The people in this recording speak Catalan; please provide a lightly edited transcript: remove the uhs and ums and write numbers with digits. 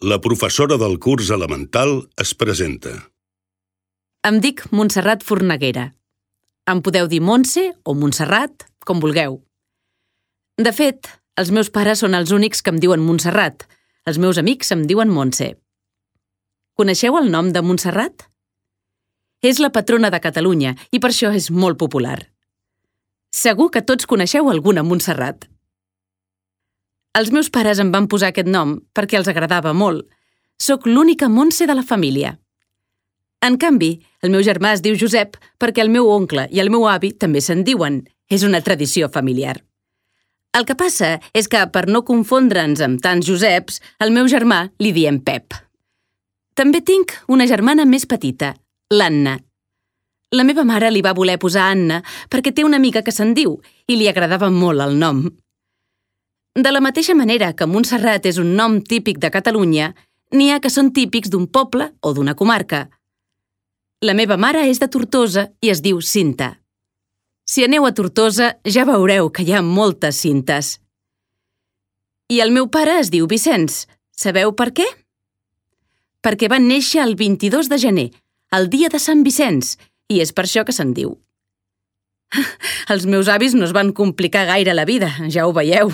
La professora del curs elemental es presenta. Em dic Montserrat Forneguera. Em podeu dir Montse o Montserrat, com vulgueu. De fet, els meus pares són els únics que em diuen Montserrat. Els meus amics em diuen Montse. Coneixeu el nom de Montserrat? És la patrona de Catalunya i per això és molt popular. Segur que tots coneixeu alguna Montserrat. Els meus pares em van posar aquest nom perquè els agradava molt. Soc l'única Montse de la família. En canvi, el meu germà es diu Josep perquè el meu oncle i el meu avi també se'n diuen. És una tradició familiar. El que passa és que, per no confondre'ns amb tants Joseps, al meu germà li diem Pep. També tinc una germana més petita, l'Anna. La meva mare li va voler posar Anna perquè té una amiga que se'n diu i li agradava molt el nom. De la mateixa manera que Montserrat és un nom típic de Catalunya, n'hi ha que són típics d'un poble o d'una comarca. La meva mare és de Tortosa i es diu Cinta. Si aneu a Tortosa ja veureu que hi ha moltes Cintes. I el meu pare es diu Vicenç. Sabeu per què? Perquè van néixer el 22 de gener, el dia de Sant Vicenç, i és per això que se'n diu. Els meus avis no es van complicar gaire la vida, ja ho veieu.